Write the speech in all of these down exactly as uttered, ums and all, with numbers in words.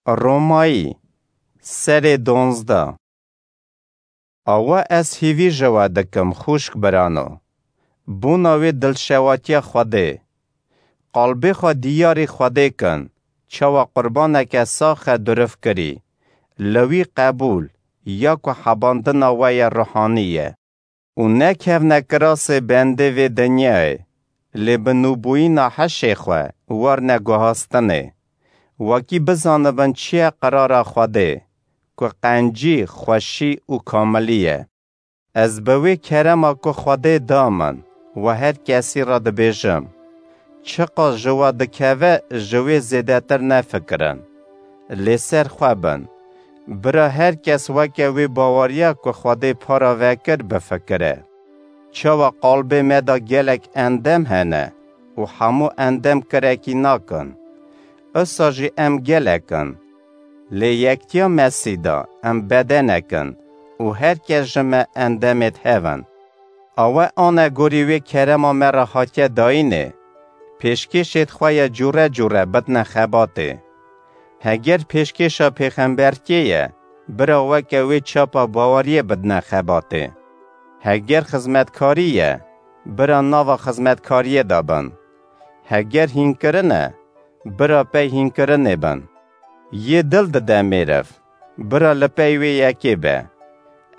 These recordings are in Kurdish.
Romayî, serê donzdeh. Awa ez hîvî ji we dikim, xûşk birano, bona wê dilşewatiya Xwedê. Qalbê xwe diyarî Xwedê kin, çawa qurbaneke sax e durifkirî, li wî qebûl, ya ku hebandina we ye ruhanî ye. Û nekevne kirasê bendê vê dinyayê, lê bi nûbûyîna hişê xwe werne guhastinê, wekî bizanibin çi ye qirara Xwedê, ku qencî, xweşî û kamilî ye. Ez bi wê kerema ku Xwedê da min, we her kesî re dibêjim, çiqas ji we dikeve, ji wê zêdetir nefikirin. Lê ser xwe bin. Bira her kes weke wê baweriya ku Xwedê para vekir bifikire. Çawa qalbê me de gelek endem hene û hemû endem kirekî nakin. Usa jî em gelek in. Lê yektiya Mesî de em bedenek in û her kes ji me endemêd hev in. Awe anegorî wê kerema me re hatiye dayînê, pêşkêşêd xwe ye cûre cûre bidne xebatê. Heger pêşkêşa pêxembertiyê ye, bira weke wê çapa baweriyê bidne xebatê. Heger xizmetkarî ye, bira nava xizmetkariyê de bin. Heger hînkirin e, bira pey hînkirinê bin. Yê dil dide mêriv, bira li pey wê yekê be.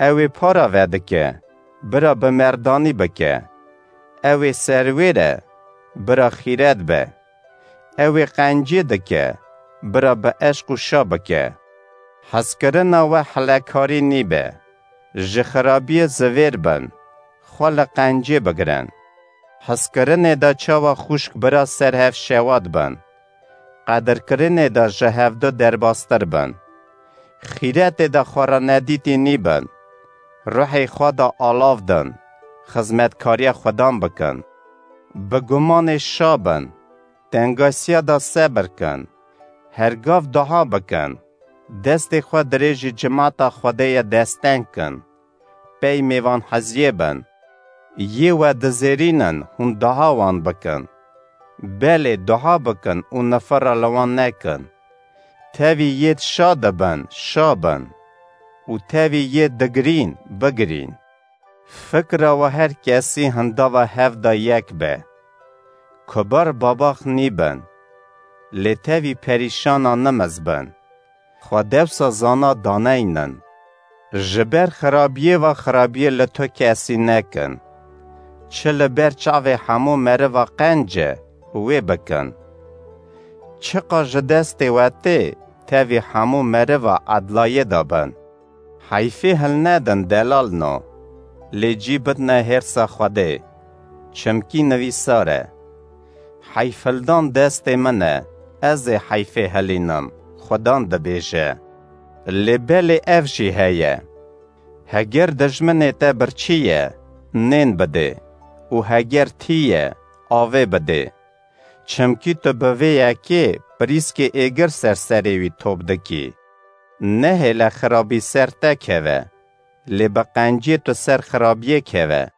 Ew ê para vedike, bira bi merdanî bike. Ew ê serwêr e, bira xîret be. Ew ê qencî dike, bira bi eşq û şa bike. Hezkirina we hilekarî nîbe. Ji xirabiyê zivêr bin, xwe li qencê bigirin. Hizkirinê de çawa xûşk bira ser hev şewat bin. Qedirkirinê de ji hevdu derbastir bin. Xîretê de xwe re nedîtî nîbin. Ruhê xwe de alav din. Xizmetkariya Xudan bikin. Bi gumanê şa bin. Tengasiya de sebir kin. Her gav dua bikin. Destê xwe dirêjî cimata Xwedê ye desteng kin. Pey mêvanheziyê bin. Yê we dizêrînin hûn dua wan bikin. Belê dua bikin û nifira li wan nekin. Tevî yê şa dibin, şa bin. Û tevî yê digirîn, bigirîn. Fikra we her kesî hindava hev de yek be. Kubar babax nîbin. Lê tevî perîşana nimiz bin. Xwe dewsa zana daneynin. Ji ber xirabiyê ve xirabiyê li tu kesî nekin. Çi li ber çavê hemû meriva qenc e, wê bikin. Çiqa ji destê we tê, tevî hemû meriva edlayê de bin. Heyfê hilnedin delalno, lê cî bidne hêrsa Xwedê, çimkî nivîsar e. Heyfhildan destê min e, ez ê heyfê hilînim, Xudan dibêje. Lê belê ev jî heye. Heger dijminê te birçî ye, nên bidê û heger tî ye, avê bidê. Çimkî tu bi vê yekê pirîskê êgir ser serê wî top dikî. Nehêle xirabî ser te keve, lê bi qenciyê tu ser xirabiyê keve.